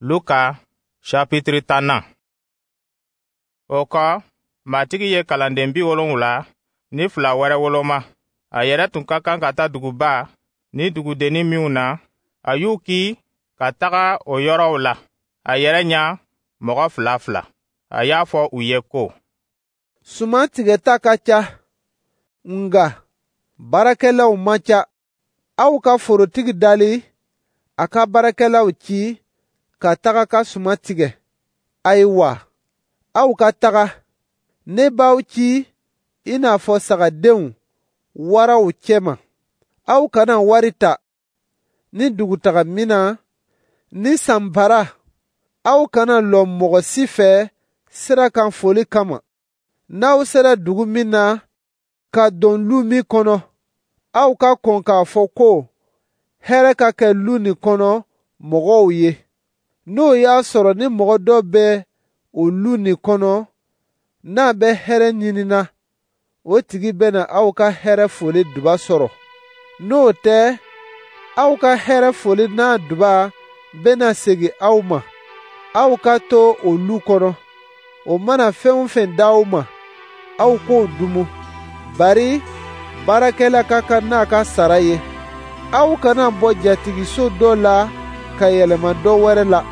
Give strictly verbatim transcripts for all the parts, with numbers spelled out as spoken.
Luka chapitre tannan. O kɔ, Matigi ye kalanden bi wolonwula ni fila wɛrɛ woloma. A yɛrɛ tun ka kan ka taa duguba ni dugudennin minw na, a y'u ki ka taga o yɔrɔw la a yɛrɛ ɲa mɔgɔ fila fila. A y'a fɔ u ye ko: Suman tigɛta ka ca, nka baarakɛlaw man ca. Aw ka forotigi dali a ka baarakɛlaw ci ka taga ka suman tigɛ. Ayiwa, aw ka taga. Ne b'aw ci i n'a fɔ sagadenw waraw cɛma. Aw kana wari ta, ni dugutaga minan, ni sanbara. Aw kana lɔ mɔgɔ si fɛ sira kan foli kama. N'aw sera dugu min na ka don lu min kɔnɔ, aw ka kɔn k'a fɔ ko hɛrɛ ka kɛ lu nin kɔnɔ mɔgɔw ye. N'o y'a sɔrɔ ni mɔgɔ dɔ bɛ o lu nin kɔnɔ, n'a bɛ hɛrɛ ɲinina, o tigi bɛna aw ka hɛrɛ foli duba sɔrɔ. N'o tɛ, aw ka hɛrɛ foli n'a duba bɛna segin aw ma. Aw ka to o lu kɔnɔ. O mana fɛn o fɛn d'aw ma, aw k'o dumu. Bari baarakɛla ka kan n'a ka sara ye. Aw kana bɔ jatigiso dɔ la ka yɛlɛma dɔ wɛrɛ la.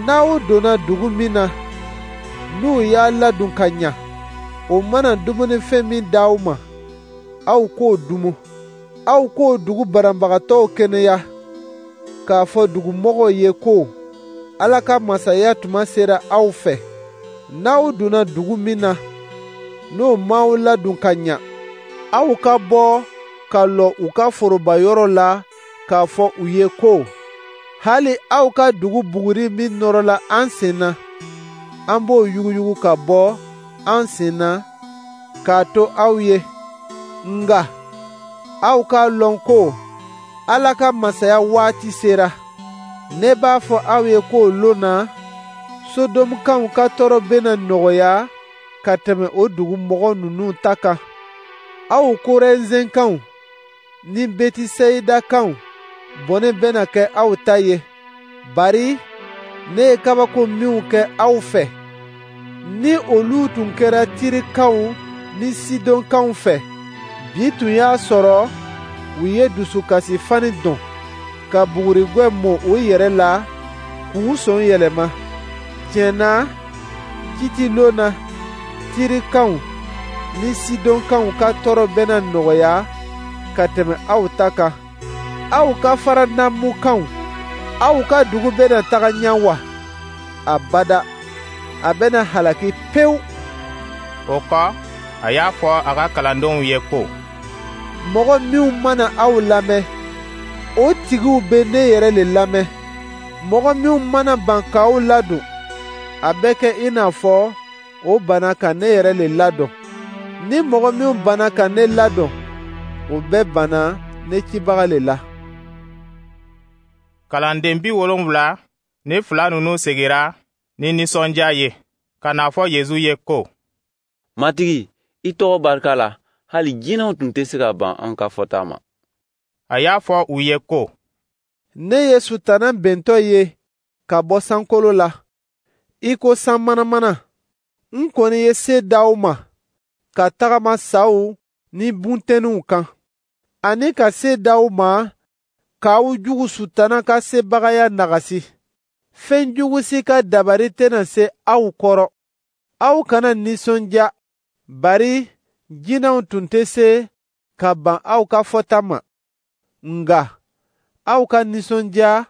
N'aw donna dugu min na, n'u y'a ladon ka ɲa, o mana dumunifɛn min d'aw ma, aw k'o dumu. Aw k'o dugu banabagatɔw kɛnɛya, k'a fɔ dugumɔgɔw ye ko Ala ka masaya tuma sera aw fɛ. N'aw donna dugu min na, n'o m'aw ladon ka ɲa, aw ka bɔ ka lɔ u ka foroba yɔrɔ la k'a fɔ u ye ko: hali aw ka dugu buguri min nɔrɔla an sen na, an b'o yuguyugu ka bɔ an sen na k'a to aw ye. Nka aw k'a lɔn ko Ala ka masaya waati sera. Ne b'a fɔ aw ye k'o lon na, Sodomukanw ka tɔɔrɔ bɛna nɔgɔya ka tɛmɛ o dugu mɔgɔ ninnu ta kan. Aw Korɛzɛnkanw ni Betiseyidakaw bɔnɛ bɛna kɛ aw ta ye, bari ne ye kabako minw kɛ aw fɛ, ni olu tun kɛra Tirikaw ni Sidɔnkaw fɛ, bi tun y'a sɔrɔ u ye dusukasi fani don, ka bugurigwɛ mɔ u yɛrɛ la k'u sɔn yɛlɛma. Tiɲɛ na, kiiti lon na, Tirikaw ni Sidɔnkaw ka tɔɔrɔ bɛna nɔgɔya ka tɛmɛ aw ta kan. Aw ka Faranamukanw, aw ka dugu bɛna taga ɲɛ wa? Abada, a bɛna halaki pewu. O kɔ, a y'a fɔ a ka kalandenw ye ko: Mɔgɔ minw mana aw lamɛn, o tigiw bɛ ne yɛrɛ le lamɛn. Mɔgɔ minw mana ban k'aw ladon, a bɛ kɛ i n'a fɔ o banna ka ne yɛrɛ le ladon. Ni mɔgɔ minw banna ka ne ladon, o bɛɛ banna ne cibaga le la. Kalanden bi wolonwula ni fila ninnu segira ni nisɔndiya ye ka n'a fɔ Yezu ye ko: Matigi, i tɔgɔ barika la, hali jinɛw tun tɛ se ka ban an ka fɔta ma. A y'a fɔ u ye ko: Ne ye Sutana bentɔ ye ka bɔ sankolo la, i ko san manamana. N kɔni ye se d'aw ma ka tagama saw ni bunteniw kan, ani ka se d'aw ma k'aw jugu Sutana ka sebagaya nagasi. Fɛn jugu si ka dabari tɛna se aw kɔrɔ. Aw kana nisɔndiya, bari jinɛw tun tɛ se ka ban aw ka fɔta ma. Nka aw ka nisɔndiya,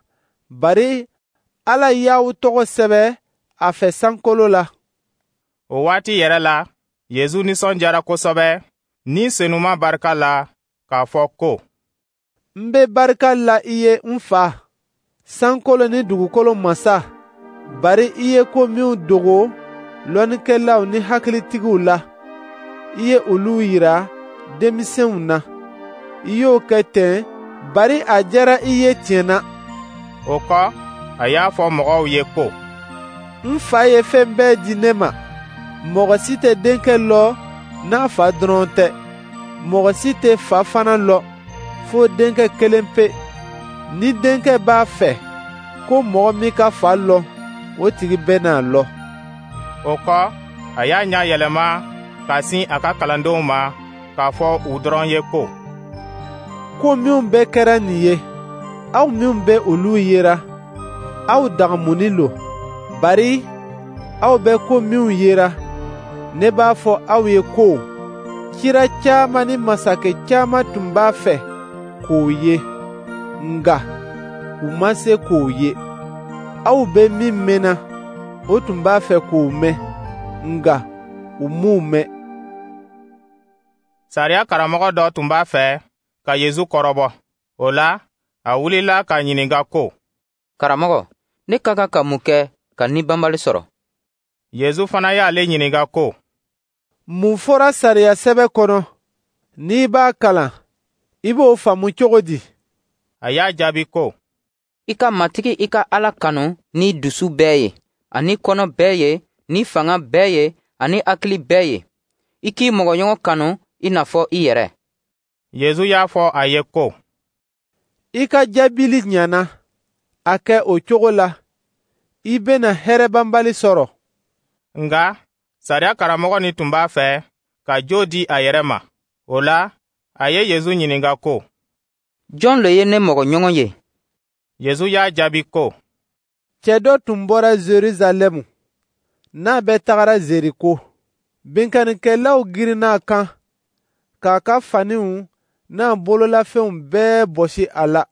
bari Ala y'aw tɔgɔ sɛbɛ a fɛ sankolo la. O waati yɛrɛ la, Yezu nisɔndiyara kosɛbɛ ni Senuma barika la k'a fɔ ko: N bɛ barika la i ye, n Fa, sankolo ni dugukolo masa, bari i ye ko minw dogo lɔnnikɛlaw ni hakilitigiw la, i ye olu yira denmisɛnw na. I y'o kɛ ten, bari a diyara i ye tiɲɛ na. O kɔ, a y'a fɔ mɔgɔw ye ko: N Fa ye fɛn bɛɛ di ne ma. Mɔgɔ si tɛ denkɛ lɔ n'a fa dɔrɔn tɛ. Mɔgɔ si tɛ fa fana lɔ fo denkɛ kelen pe. Ni denkɛ b'a fɛ Ko mɔgɔ min ka Fa lɔn, o tigi bɛna a lɔn. O kɔ, a y'a ɲɛ yɛlɛma ka sin a ka kalandenw ma k'a fɔ u dɔrɔn ye ko: Ko minw bɛɛ kɛra nin ye, aw minw bɛ olu yera, aw dagamunin lo. Bari aw bɛ ko minw yera, ne b'a fɔ aw ye ko cira caman ni masakɛ caman tun b'a fɛ k'o ye, nka u ma se k'o ye. Aw bɛ min mɛnna, o tun b'a fɛ k'o mɛn, nka u m'o mɛn. Sariya karamɔgɔ dɔ tun b'a fɛ ka Yezu kɔrɔbɔ. O la, a wulila k'a ɲininka ko: Karamɔgɔ, ne ka kan ka mun kɛ ka ni banbali sɔrɔ? Yezu fana y'ale ɲininka ko: Mun fɔra sariya sɛbɛ kɔnɔ? N'i b'a kalan, i b'o faamu cogo di? A y'a jaabi ko: I ka Matigi i ka Ala kanu ni dusu bɛɛ ye, ani kɔnɔ bɛɛ ye, ni fanga bɛɛ ye, ani hakili bɛɛ ye. I k'i mɔgɔɲɔgɔn kanu i n'a fɔ i yɛrɛ. Yezu y'a fɔ a ye ko: I ka jaabili ɲana, a kɛ o cogo la, i bɛna hɛrɛ banbali sɔrɔ. Nka sariya karamɔgɔ nin tun b'a fɛ ka jo di a yɛrɛ ma. O la, a ye Yezu ɲininka ko: Jɔn le ye ne mɔgɔɲɔgɔn ye? Yezu y'a jaabi ko: Cɛ dɔ tun bɔra Zerizalɛmu, n'a bɛ tagara Zeriko. Binkannikɛlaw girinna a kan k'a ka faniw n'a bololafɛnw bɛɛ bɔsi a la,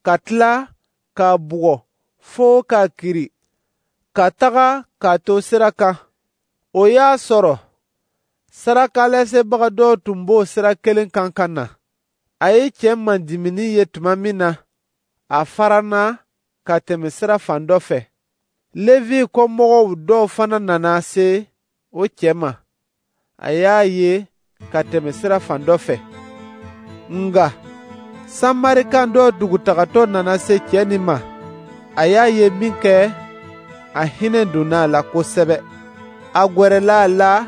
ka tila k'a bugɔ fo k'a kiri, ka taga k'a to sira kan. O y'a sɔrɔ sarakalasebaga dɔw tun b'o sira kelen kan ka na. A ye cɛ mandimini ye tuma min na, a faranna ka tɛmɛ sira fan dɔ fɛ. Levi kɔmɔgɔw dɔw fana nana se o cɛ ma. A y'a ye ka tɛmɛ sira fan dɔ fɛ. Nka Samarikan dɔ dugutagatɔ nana se cɛ nin ma. A y'a ye min kɛ, a hinɛ donna a la kosɛbɛ. A gwɛrɛla a la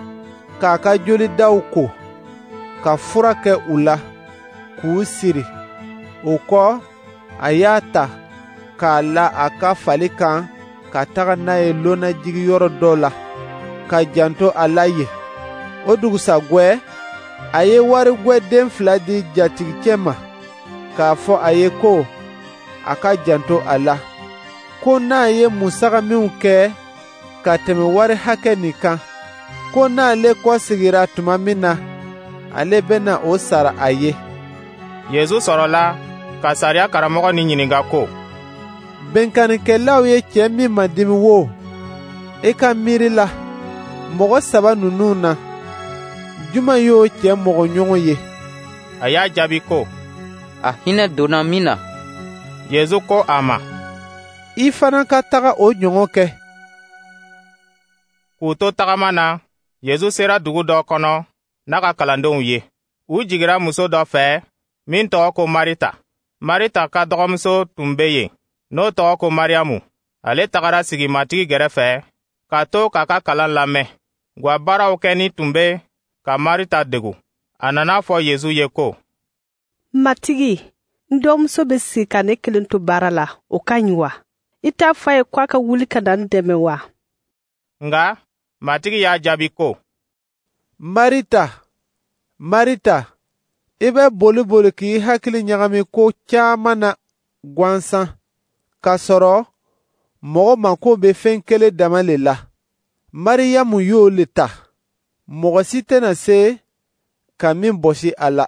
k'a ka jolidaw ko, ka fura kɛ u la, k'u siri. O kɔ, a y'a ta k'a la a ka fali kan ka taga n'a ye lonnajigiyɔrɔ dɔ la, ka janto a la yen. O dugusagwɛ, a ye warigwɛ den fila di jatigicɛ ma, k'a fɔ a ye ko a ka janto a la, ko n'a ye musaka minw kɛ ka tɛmɛ wari hakɛ nin kan, ko n'ale kɔsegira tuma min na, ale bɛna o sara a ye. Yezu sɔrɔla ka sariya karamɔgɔ nin ɲininka ko: Binkannikɛlaw ye cɛ min madimi wo, i ka miiri la, mɔgɔ saba ninnu na, jumɛn y'o cɛ mɔgɔɲɔgɔn ye? A y'a jaabi ko: A hinɛ donna min na. Yezu ko a ma: I fana ka taga o ɲɔgɔn kɛ. K'u to tagama na, Yezu sera dugu dɔ kɔnɔ n'a ka kalandenw ye. U jigira muso dɔ fɛ min tɔgɔ ko Marita. Marita ka dɔgɔmuso tun bɛ yen, n'o tɔgɔ ko Mariyamu. Ale tagara sigi Matigi gɛrɛfɛ ka to k'a ka kalan lamɛn. Gwa baaraw kɛni tun bɛ ka Marita degu. A nana fɔ Yezu ye ko: Matigi, n dɔgɔmuso bɛ sigi ka ne kelen to baara la, o ka ɲi wa? I t'a fɔ a ye ko a ka wuli ka na n dɛmɛ wa? Nka Matigi y'a jaabi ko: Marita, Marita, i bɛ boli boli k'i hakili ɲagami ko caman na gansan, k'a sɔrɔ mɔgɔ mako bɛ fɛn kelen dama le la. Mariyamu y'o le ta, mɔgɔ si tɛna se ka min bɔsi a la.